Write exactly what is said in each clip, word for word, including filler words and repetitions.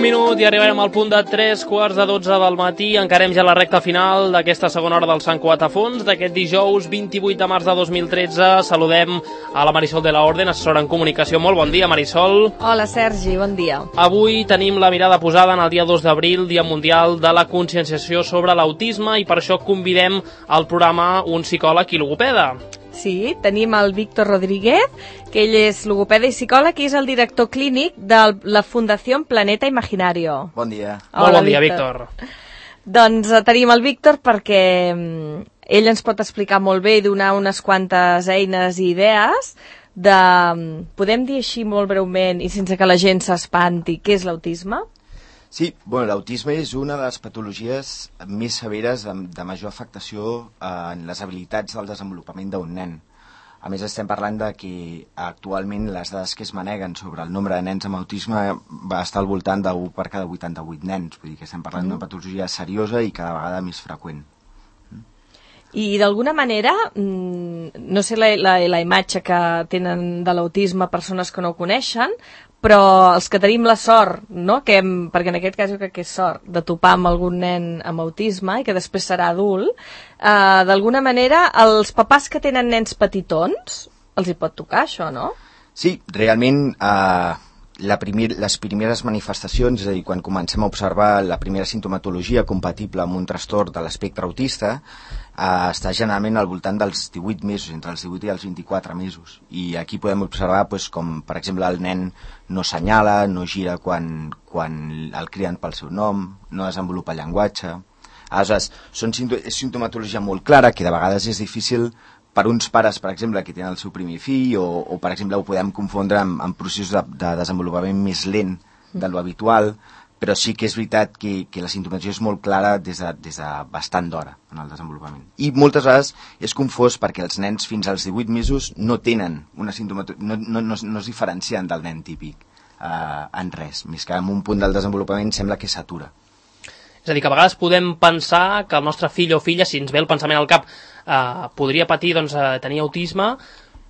minut i arribarem al punt de tres quarts de dotze del matí. Encarem ja la recta final d'aquesta segona hora del Sant Cugat a fons d'aquest dijous vint-i-vuit de març de dos mil tretze. Saludem a la Marisol de la Orden, assessora en comunicació. Molt bon dia, Marisol. Hola, Sergi, bon dia. Avui tenim la mirada posada en el dia dos d'abril, Dia Mundial de la Conscienciació sobre l'Autisme, i per això convidem al programa un psicòleg i logopeda. Sí, tenim el Víctor Rodríguez, que ell és logopeda i psicòleg i és el director clínic de la Fundació Planeta Imaginario. Bon dia. Hola, Molt bon dia, Víctor. Víctor. Doncs tenim el Víctor perquè ell ens pot explicar molt bé i donar unes quantes eines i idees de, podem dir així molt breument i sense que la gent s'espanti, què és l'autisme? Sí, bueno, l'autisme és una de les patologies més severes de, de major afectació en les habilitats del desenvolupament d'un nen. A més, estem parlant de que actualment les dades que es maneguen sobre el nombre de nens amb autisme va estar al voltant d'un per cada vuitanta-vuit nens. Vull dir que estem parlant d'una patologia seriosa i cada vegada més freqüent. I d'alguna manera, no sé la, la, la imatge que tenen de l'autisme persones que no ho coneixen, però els que tenim la sort, no? que hem, perquè en aquest cas jo crec que és sort, de topar amb algun nen amb autisme i que després serà adult, eh, d'alguna manera els papàs que tenen nens petitons, els hi pot tocar això, no? Sí, realment eh, la primer, les primeres manifestacions, és a dir, quan comencem a observar la primera sintomatologia compatible amb un trastorn de l'espectre autista, Uh, està generalment al voltant dels divuit mesos, entre els divuit i els vint-i-quatre mesos. I aquí podem observar pues, com, per exemple, el nen no senyala, no gira quan, quan el criden pel seu nom, no desenvolupa llenguatge. Aleshores, són, és sintomatologia molt clara que de vegades és difícil per uns pares, per exemple, que tenen el seu primer fill, o, o per exemple, ho podem confondre amb, amb processos de, de desenvolupament més lent de lo habitual, però sí que és veritat que, que la sintomatologia és molt clara des de, des de bastant d'hora en el desenvolupament. I moltes vegades és confós perquè els nens fins als divuit mesos no tenen una sintomatologia, no, no, no, no es diferencien del nen típic eh, en res, més que en un punt del desenvolupament sembla que s'atura. És a dir, que a vegades podem pensar que el nostre fill o filla, si ens ve el pensament al cap, eh, podria patir, doncs, eh, tenir autisme,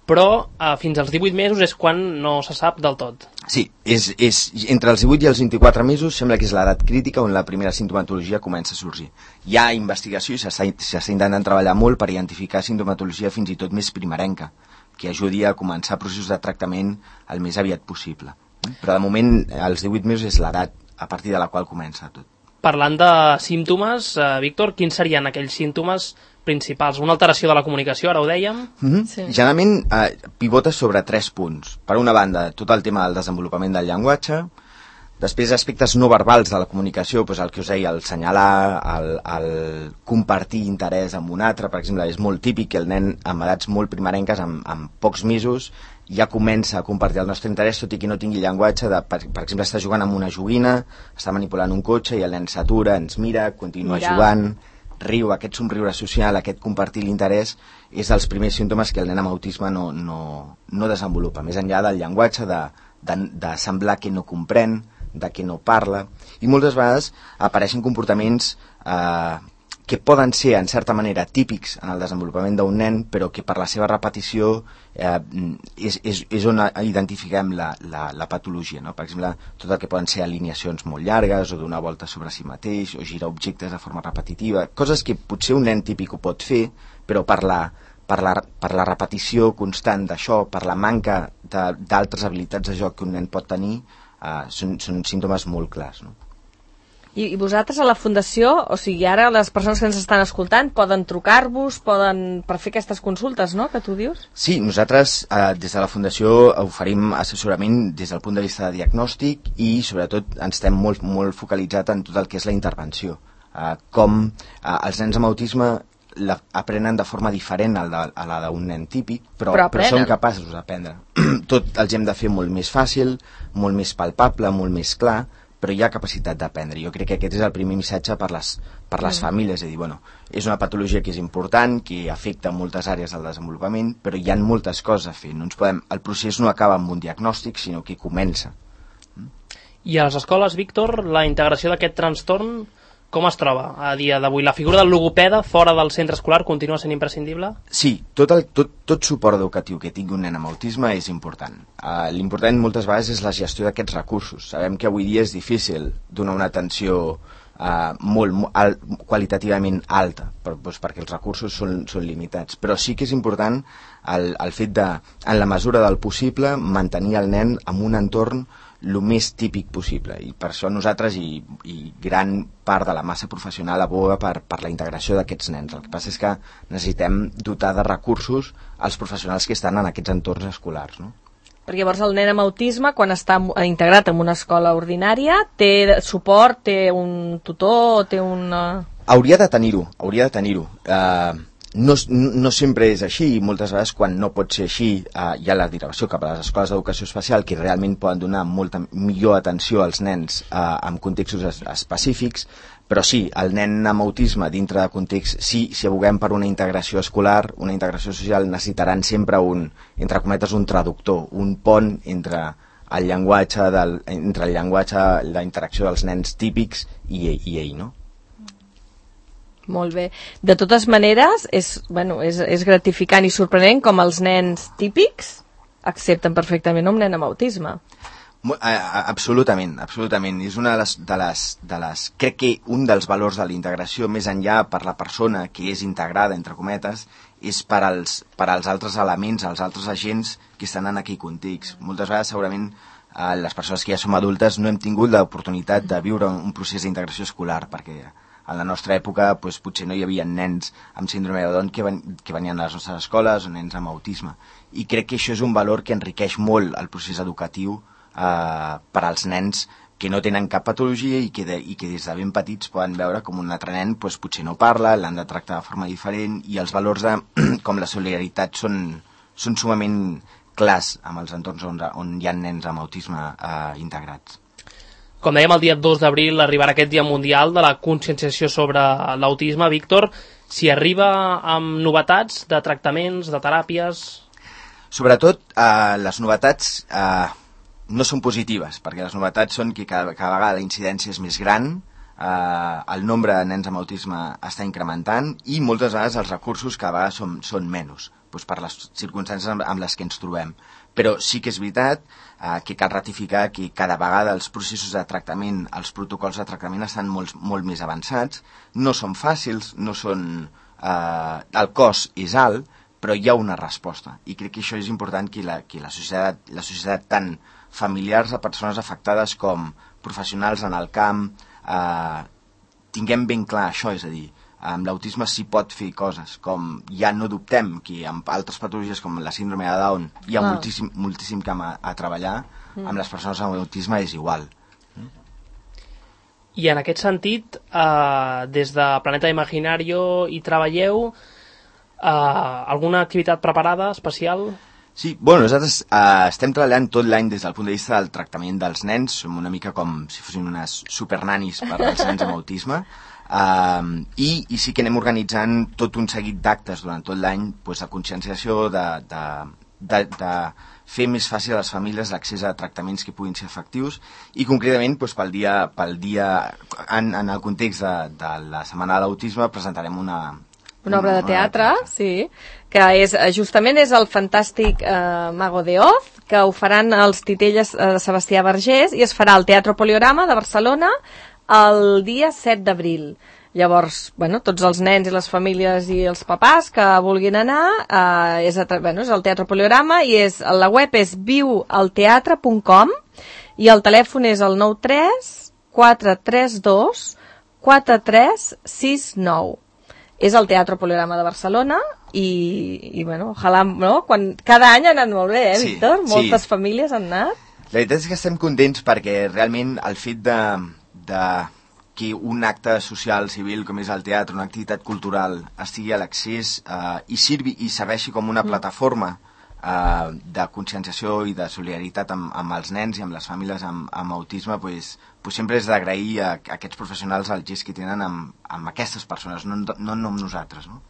però eh, fins als divuit mesos és quan no se sap del tot. Sí, és, és, entre els divuit i els vint-i-quatre mesos sembla que és l'edat crítica on la primera sintomatologia comença a sorgir. Hi ha investigació i s'està intentant treballar molt per identificar sintomatologia fins i tot més primerenca, que ajudi a començar processos de tractament el més aviat possible. Però de moment, als divuit mesos és l'edat a partir de la qual comença tot. Parlant de símptomes, eh, Víctor, quins serien aquells símptomes principals? Una alteració de la comunicació, ara ho dèiem? Mm-hmm. Sí. Generalment eh, pivota sobre tres punts. Per una banda, tot el tema del desenvolupament del llenguatge, després aspectes no verbals de la comunicació, doncs el que us deia, el senyalar, el, el compartir interès amb un altre, per exemple, és molt típic que el nen amb edats molt primerenques, amb, amb pocs mesos, ja comença a compartir el nostre interès, tot i que no tingui llenguatge, de, per, per exemple, està jugant amb una joguina, està manipulant un cotxe i el nen s'atura, ens mira, continua mira. jugant, riu, aquest somriure social, aquest compartir l'interès, és dels primers símptomes que el nen amb autisme no, no, no desenvolupa, més enllà del llenguatge, de, de, de semblar que no comprèn, de que no parla, i moltes vegades apareixen comportaments eh, que poden ser, en certa manera, típics en el desenvolupament d'un nen, però que per la seva repetició eh, és, és, és on identifiquem la, la, la patologia. No? Per exemple, tot el que poden ser alineacions molt llargues, o donar voltes sobre si mateix, o girar objectes de forma repetitiva, coses que potser un nen típic ho pot fer, però per la, per la, per la repetició constant d'això, per la manca d'altres habilitats de joc que un nen pot tenir, eh, són, són símptomes molt clars, no? I vosaltres a la Fundació, o sigui, ara les persones que ens estan escoltant poden trucar-vos, poden per fer aquestes consultes, no?, que tu dius? Sí, nosaltres eh, des de la Fundació oferim assessorament des del punt de vista de diagnòstic i sobretot ens estem molt, molt focalitzat en tot el que és la intervenció. Eh, com eh, els nens amb autisme la, aprenen de forma diferent a la, a la d'un nen típic, però, però, però són capaços d'aprendre. Tot els hem de fer molt més fàcil, molt més palpable, molt més clar, però hi ha capacitat d'aprendre. Jo crec que aquest és el primer missatge per les, per les mm. famílies, és a dir, bueno, és una patologia que és important, que afecta moltes àrees del desenvolupament, però hi ha moltes coses a fer. No ens podem, el procés no acaba amb un diagnòstic, sinó que comença. I a les escoles, Víctor, la integració d'aquest trastorn com es troba a dia d'avui? La figura del logopeda fora del centre escolar continua sent imprescindible? Sí, tot, el, tot, tot suport educatiu que tingui un nen amb autisme és important. Uh, L'important moltes vegades és la gestió d'aquests recursos. Sabem que avui dia és difícil donar una atenció Uh, molt, molt al, qualitativament alta per, doncs, perquè els recursos són, són limitats, però sí que és important el, el fet de, en la mesura del possible, mantenir el nen en un entorn el més típic possible, i per això nosaltres i, i gran part de la massa professional aboga per, per la integració d'aquests nens. El que passa és que necessitem dotar de recursos als professionals que estan en aquests entorns escolars, no? Perquè llavors el nen amb autisme, quan està integrat en una escola ordinària, té suport, té un tutor, té una... Hauria de tenir-ho, hauria de tenir-ho. Uh, no, no sempre és així, i moltes vegades quan no pot ser així uh, hi ha la direcció cap a les escoles d'educació especial que realment poden donar molta millor atenció als nens uh, en contextos es específics, però sí, el nen amb autisme dintre de context, sí, si aboguem per una integració escolar, una integració social, necessitaran sempre un, entre cometes, un traductor, un pont entre el llenguatge, del, entre el llenguatge, la interacció dels nens típics i, i ell, no? Molt bé. De totes maneres, és, bueno, és, és gratificant i sorprenent com els nens típics accepten perfectament un nen amb autisme. Absolutament, absolutament. És una de les, de les, de les... Crec que un dels valors de la integració, més enllà per la persona que és integrada, entre cometes, és per als, per als altres elements, als altres agents que estan en aquell context. Moltes vegades, segurament, eh, les persones que ja som adultes no hem tingut l'oportunitat de viure un procés d'integració escolar, perquè en la nostra època doncs, potser no hi havia nens amb síndrome de Down que, ven, que venien a les nostres escoles, o nens amb autisme. I crec que això és un valor que enriqueix molt el procés educatiu Uh, per als nens que no tenen cap patologia i que, de, i que des de ben petits poden veure com un altre nen pues, potser no parla, l'han de tractar de forma diferent, i els valors de, com la solidaritat són, són sumament clars amb els entorns on, on hi ha nens amb autisme uh, integrats. Com dèiem, el dia dos d'abril arribarà aquest dia mundial de la conscienciació sobre l'autisme. Víctor, si arriba amb novetats de tractaments, de teràpies... Sobretot, uh, les novetats... Uh, no són positives, perquè les novetats són que cada, cada vegada la incidència és més gran, eh, el nombre de nens amb autisme està incrementant i moltes vegades els recursos cada vegada són, són menys, doncs per les circumstàncies amb, amb les que ens trobem. Però sí que és veritat eh, que cal ratificar que cada vegada els processos de tractament, els protocols de tractament estan molt, molt més avançats, no són fàcils, no són, eh, el cost és alt, però hi ha una resposta, i crec que això és important que la, que la societat, la societat tant familiars de persones afectades com professionals en el camp eh, tinguem ben clar això, és a dir, amb l'autisme s'hi pot fer coses, com ja no dubtem que amb altres patologies com la síndrome de Down hi ha ah. moltíssim, moltíssim camp a, a treballar, mm. amb les persones amb autisme és igual. Mm? I en aquest sentit, eh, des de Planeta Imaginario hi treballeu eh, alguna activitat preparada, especial? Sí, bueno, nosaltres eh, estem treballant tot l'any des del punt de vista del tractament dels nens, som una mica com si fossin unes supernanis per als nens amb autisme, eh, i, i sí que anem organitzant tot un seguit d'actes durant tot l'any, pues, de conscienciació, de, de, de, de fer més fàcil a les famílies l'accés a tractaments que puguin ser efectius, i concretament pues, pel dia, pel dia en, en el context de, de la Setmana de l'Autisme presentarem una... Una obra de teatre, sí, que és, justament és el fantàstic eh, Mago de Oz, que ho faran els titelles de eh, Sebastià Vergés, i es farà al Teatre Poliorama de Barcelona el dia set d'abril. Llavors, bueno, tots els nens i les famílies i els papàs que vulguin anar, eh, és, a, bueno, és al Teatre Poliorama, i és, la web és viu al teatre punt com, i el telèfon és el nou tres quatre tres dos quatre tres sis nou. És el Teatre Poliorama de Barcelona i, i bueno, ojalà, no? Quan, cada any ha anat molt bé, eh, Víctor? Sí, moltes sí. famílies han anat. La veritat és que estem contents perquè realment el fet de, de que un acte social, civil, com és el teatre, una activitat cultural, estigui a l'accés eh, i sirvi i serveixi com una mm. plataforma eh, de conscienciació i de solidaritat amb, amb els nens i amb les famílies amb, amb autisme, pues, pues sempre és d'agrair a, a aquests professionals el gest que tenen amb, amb aquestes persones, no, no, no amb nosaltres, no?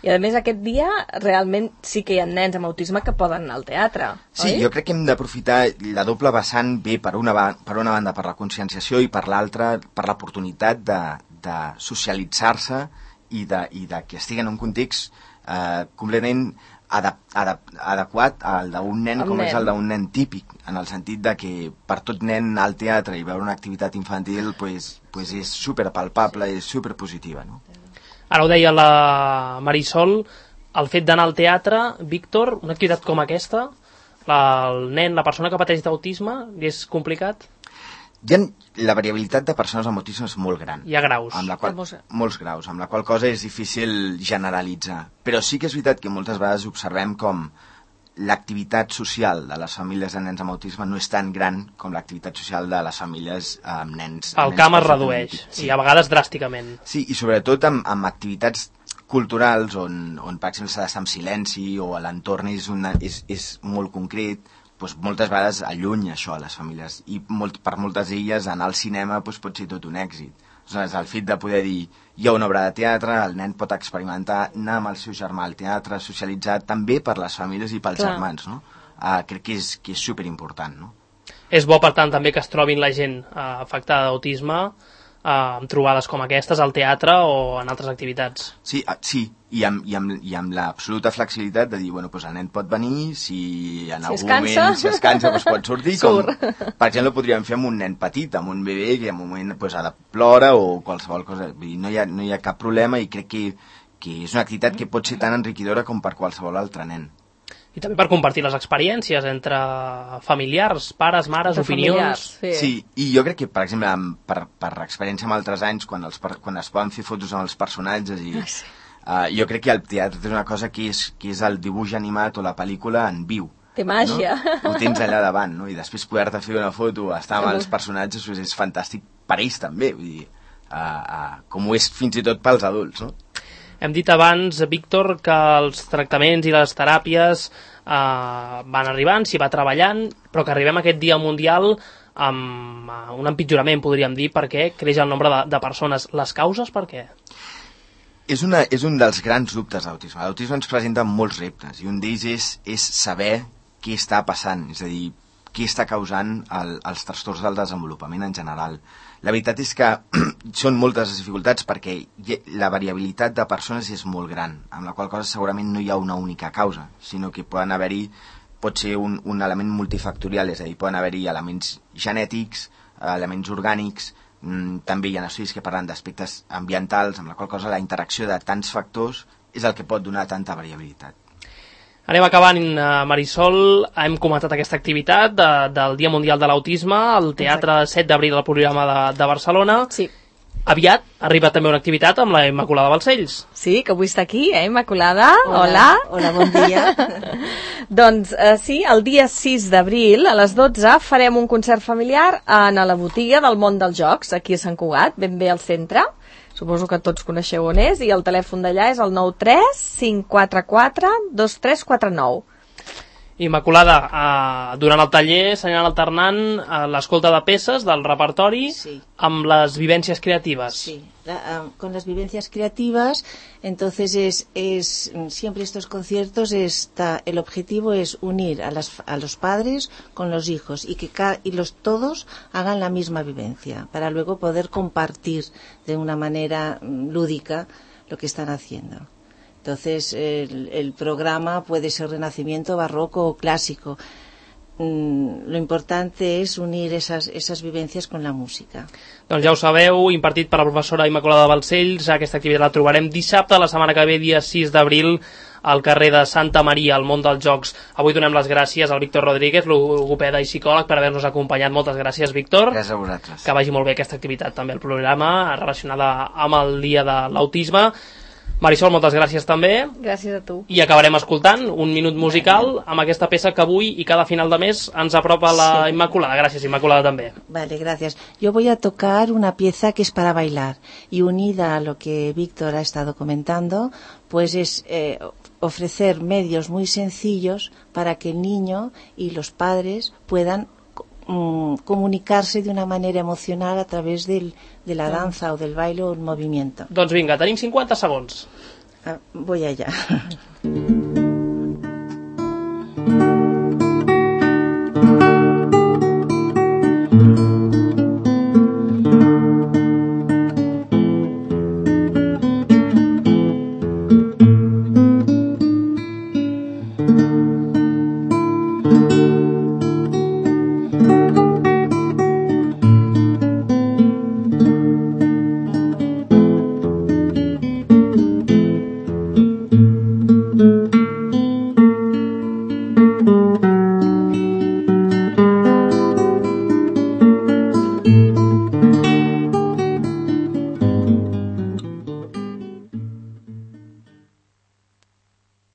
I a més aquest dia realment sí que hi ha nens amb autisme que poden anar al teatre, sí, oi? Jo crec que hem d'aprofitar la doble vessant bé per una, per una banda per la conscienciació i per l'altra per l'oportunitat de, de socialitzar-se i de, i de que estigui en un context eh, completament adap, adap, adequat al d'un nen el com nen. és el d'un nen típic, en el sentit de que per tot nen al teatre i veure una activitat infantil pues, pues és superpalpable, és superpositiva, no? Ara ho deia la Marisol, el fet d'anar al teatre, Víctor, una activitat com aquesta, la, el nen, la persona que pateix d'autisme, és complicat? Hi ha, la variabilitat de persones amb autisme és molt gran. Hi ha graus. Amb la qual, molts graus, amb la qual cosa és difícil generalitzar. Però sí que és veritat que moltes vegades observem com l'activitat social de les famílies de nens amb autisme no és tan gran com l'activitat social de les famílies amb nens... El nens camp es redueix, sí. I a vegades dràsticament. Sí, i sobretot amb, amb activitats culturals on, on per exemple, s'ha d'estar en silenci o l'entorn és, una, és, és molt concret, doncs moltes vegades allunya això a les famílies i molt, per moltes d'elles anar al cinema doncs, pot ser tot un èxit. Aleshores, el fet de poder dir hi ha una obra de teatre, el nen pot experimentar, anar amb el seu germà al teatre, socialitzar també per les famílies i pels Clar. germans, no? Uh, crec que és, que és superimportant, no? És bo, per tant, també que es trobin la gent uh, afectada d'autisme uh, amb trobades com aquestes al teatre o en altres activitats. Sí, uh, sí. I amb, i amb, i amb l'absoluta flexibilitat de dir, bueno, doncs el nen pot venir, si en si algun moment si es cansa doncs pot sortir, Sur. com, per exemple, podríem fer amb un nen petit, amb un bebè que en un moment doncs, ha de plora o qualsevol cosa, vull dir, no hi ha, no hi ha cap problema i crec que, que és una activitat que pot ser tan enriquidora com per qualsevol altre nen. I també per compartir les experiències entre familiars, pares, mares, de opinions... Familiars, sí. Sí, i jo crec que, per exemple, amb, per, per experiència amb altres anys, quan, els, quan es poden fer fotos amb els personatges i... Ah, sí. Uh, jo crec que el teatre és una cosa que és, que és el dibuix animat o la pel·lícula en viu. Té màgia. No? Ho tens allà davant, no? I després poder-te fer una foto, estar amb els personatges, doncs és fantàstic per ells també, vull dir, uh, uh, com ho és fins i tot pels adults, no? Hem dit abans, Víctor, que els tractaments i les teràpies eh, van arribant, s'hi va treballant, però que arribem a aquest dia mundial amb uh, un empitjorament, podríem dir, perquè creix el nombre de, de persones. Les causes, per què? És, una, és un dels grans dubtes d'autisme. L'autisme ens presenta molts reptes i un d'ells és, és saber què està passant, és a dir, què està causant el, els trastorns del desenvolupament en general. La veritat és que són moltes les dificultats perquè la variabilitat de persones és molt gran, amb la qual cosa segurament no hi ha una única causa, sinó que poden haver-hi, pot ser un, un element multifactorial, és a dir, poden haver-hi elements genètics, elements orgànics, també hi ha estudis que parlen d'aspectes ambientals, amb la qual cosa la interacció de tants factors és el que pot donar tanta variabilitat. Anem acabant, Marisol. Hem comentat aquesta activitat de, del Dia Mundial de l'Autisme, al Teatre Exacte. set d'abril al programa de, de Barcelona. Sí. Aviat arriba també una activitat amb la Immaculada Balcells. Sí, que avui està aquí, eh, Immaculada? Hola. Hola, Hola bon dia. Doncs eh, sí, el dia sis d'abril a les dotze farem un concert familiar en la botiga del món dels jocs, aquí a Sant Cugat, ben bé al centre. Suposo que tots coneixeu on és, i el telèfon d'allà és el nou tres cinc quatre quatre dos tres quatre nou. Immaculada, eh, durant el taller s'aniran alternant eh, l'escolta de peces del repertori sí. amb les vivències creatives. Sí, la, uh, con las vivencias creativas, entonces es, es siempre estos conciertos está, el objetivo es unir a, las, a los padres con los hijos y que ca, y los todos hagan la misma vivencia para luego poder compartir de una manera lúdica lo que están haciendo. Entonces, el, el programa puede ser renacimiento, barroco o clásico. Mm, lo importante es unir esas, esas vivencias con la música. Doncs ja ho sabeu, impartit per la professora Immaculada Balcells. Aquesta activitat la trobarem dissabte, la setmana que ve, dia sis d'abril, al carrer de Santa Maria, al món dels jocs. Avui donem les gràcies al Víctor Rodríguez, logopeda i psicòleg, per haver-nos acompanyat. Moltes gràcies, Víctor. Gràcies a vosaltres. Que vagi molt bé aquesta activitat també al programa, relacionada amb el dia de l'autisme. Marisol, moltes gràcies també. Gràcies a tu. I acabarem escoltant un minut musical amb aquesta peça que avui i cada final de mes ens apropa la sí. Immaculada. Gràcies, Immaculada, també. Vale, gracias. Yo voy a tocar una pieza que es para bailar y unida a lo que Víctor ha estado comentando, pues es eh, ofrecer medios muy sencillos para que el niño y los padres puedan mm, comunicarse de una manera emocional a través del, de la danza o del baile o el movimiento. Doncs vinga, tenim cinquanta segons. Ah, voy allá.